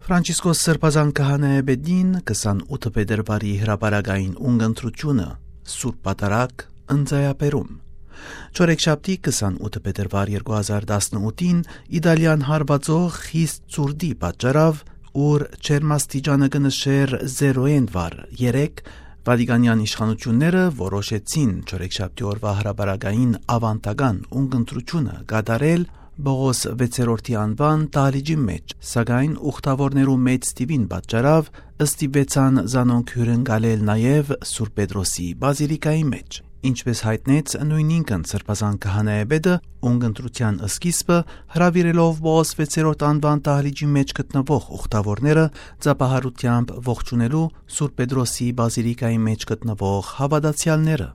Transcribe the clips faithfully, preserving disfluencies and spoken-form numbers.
Ֆրանցիսկոս Սրբազան քահանայապետին քսանութ փետրվարի հրապարակային ունգընտրութիւնը, Սուրբ Պատարագ, ընծայաբերում։ Չորեքշաբթի քսանութ փետրվար երկու հազար տասնութին Իտալիան հարուածող խիստ ցուրտի պատճառաւ, ուր ջերմաստիճանը կը նշէր զերոյէն վար երեք, Վատիկանեան իշխանութիւնները որոշեցին չորեքշաբթի օրուայ հրապարակային աւանդական ունգընտրութիւնը կատարել Պողոս վեցերորդի անուան դահլիճի մէջ, սակայն ուխտաւորներու մեծ թիւին պատճառաւ ստիպուեցան զանոնք հիւրընկալել նաեւ Սուրբ Պետրոսի բազիլիկայի մէջ։ Ինչպէս յայտնեց նոյնինքն Սրբազան քահանայապետը, ունգընտրութեան սկիզբը հրաւիրելով Պողոս վեցերորդ անուան դահլիճի մէջ գտնուող ուխտաւորները, ծափահարութեամբ ողջունելու Սուրբ Պետրոսի բազիլիկայի մէջ գտնուող հաւատացեալները։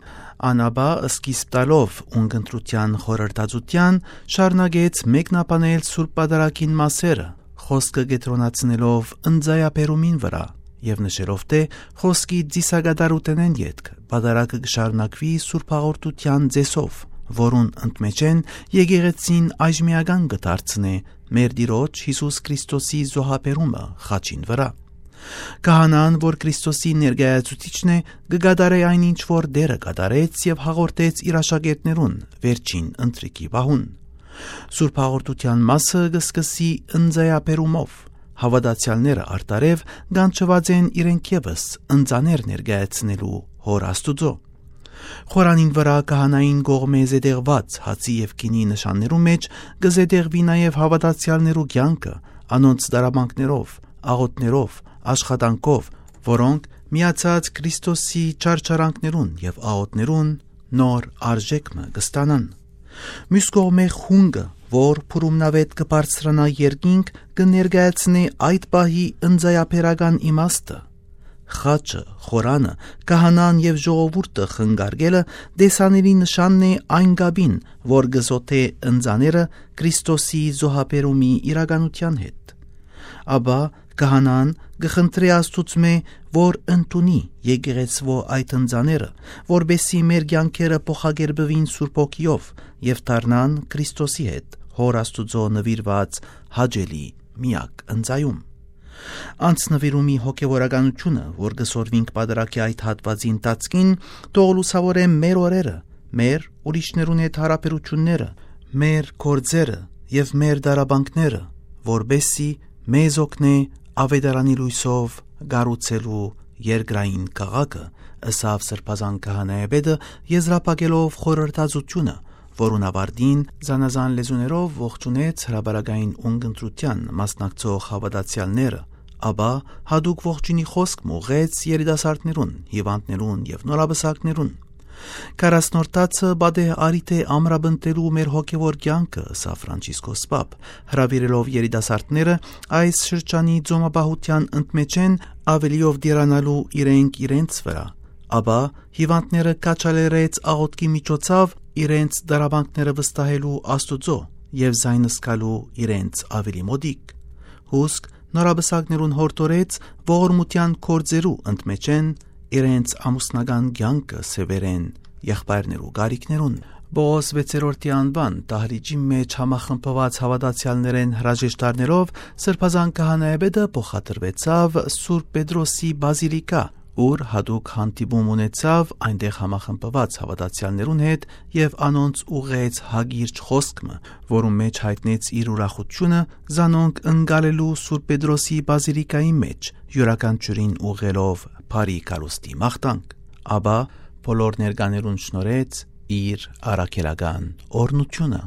Ան ապա, սկիզբ տալով ունգընտրութեան խորհրդածութեան, շարունակեց մեկնաբանել Սուրբ Պատարագին մասերը, խօսքը կեդրոնացնելով ընծայաբերումին վրայ եւ նշելով, թէ խօսքի ծիսակատարութենէն ետք Պատարագը կը շարունակուի Սուրբ Հաղորդութեան ծեսով, որուն ընդմէջէն եկեղեցին այժմիական կը դարձնէ մեր Տիրոջ Յիսուս Քրիստոսի զոհաբերումը խաչին վրայ։ Քահանան, որ Քրիստոսի ներկայացուցիչն է, կը կատարէ այն, ինչ որ Տէրը կատարեց եւ հաղորդեց իր աշակերտներուն վերջին ընթրիքի պահուն։ Սուրբ Հաղորդութեան մասը կը սկսի ընծայաբերումով։ Հաւատացեալները արտարեւ կանչուած են իրենք եւս ընծաներ ներկայացնելու Հօր Աստուծոյ։ Խորանին վրայ քահանային կողմէ զետեղուած հացի եւ գինի նշաններու մէջ կը զետեղուի նաեւ հաւատացեալներու կեանքը, անոնց դարապանքներով, աղօթքներով, աշխատանքով, որոնք միացած Քրիստոսի չարչարանքներուն եւ աղօթքներուն նոր արժէք մը կը ստանան։ Միւս կողմէ խունկը, որ փուրումնաւէտ կը բարձրանայ երկինք, կը ներկայացնէ այդ պահի ընծայաբերական իմաստը։ Խաչը, խորանը, քահանան եւ ժողովուրդը խնկարկելը տեսանելի նշանն է այն կապին, որ կը զօդէ ընծաները Քրիստոսի զոհաբերումի իրականութեան հետ։ Ապա քահանան կը խնդրէ Աստուծմէ, որ ընդունի եկեղեցւոյ այդ ընծաները, որպէսզի մեր կեանքերը փոխակերպուին Սուրբ Հոգիով եւ դառնան Քրիստոսի հետ Հօր Աստուծոյ նուիրուած հաճելի միակ ընծայում։ Անձնուիրումի հոգեվորականութիւնը, որ կը սորվինք Պատարագի այդ հատուածի ընթացքին, թող լուսաւորէ մեր օրերը, մեր, ուրիշներուն հետ յարաբերութիւնները, մեր գործերը եւ մեր դարապանքները, որպէսզի մեզ օգնէ Աւետարանի լոյսով կառուցելու երկրային քաղաքը, ըսաւ Սրբազան քահանայապետը, եզրափակելով խորհրդածութիւնը, որուն աւարտին զանազան լեզուներով ողջունեց հրապարակային ունգընտրութեան մասնակցող հաւատացեալները, ապա յատուկ ողջունի խօսք մը ուղղեց երիտասարդներուն, հիւանդներուն եւ նորապսակներուն։ Քառասնորդացը պատեհ առիթ է ամրապնդելու մեր հոգեվոր կեանքը, ըսաւ Ֆրանցիսկոս Պապ, հրաւիրելով երիտասարդները այս շրջանի ծոմապահութեան ընդմէջէն աւելիով տիրանալու իրենք իրենց վրայ, ապա հիւանդները քաջալերեց աղօթքի միջոցով իրենց դարապանքները վստահելու Աստուծոյ եւ զայն զգալու իրենց աւելի մօտիկ։ Հուսկ նորապսակներուն յորդորեց ողորմութեան գործերու ընդմէջէն իրենց ամուսնական կեանքը սեւեռեն եղբայրներու կարիքներուն։ Պողոս վեցերորդի անուան դահլիճի մէջ համախմբուած հաւատացեալներէն հրաժեշտարներով Սրբազան քահանայապետը փոխադրուեցաւ Սուրբ Պետրոսի բազիլիկա, ուր յատուկ հանդիպում ունեցաւ այնտեղ համախմբուած հաւատացեալներուն հետ եւ անոնց ուղղեց հակիրճ խօսք մը, որուն մէջ յայտնեց իր ուրախութիւնը զանոնք ընկալելու Սուրբ Պետրոսի բազիլիկայի մէջ, իւրաքանչիւրին ուղղելով բարի գալուստի մաղթանք։ Ապա բոլոր ներկաներուն շնորհեց իր առաքելական օրհնութիւնը։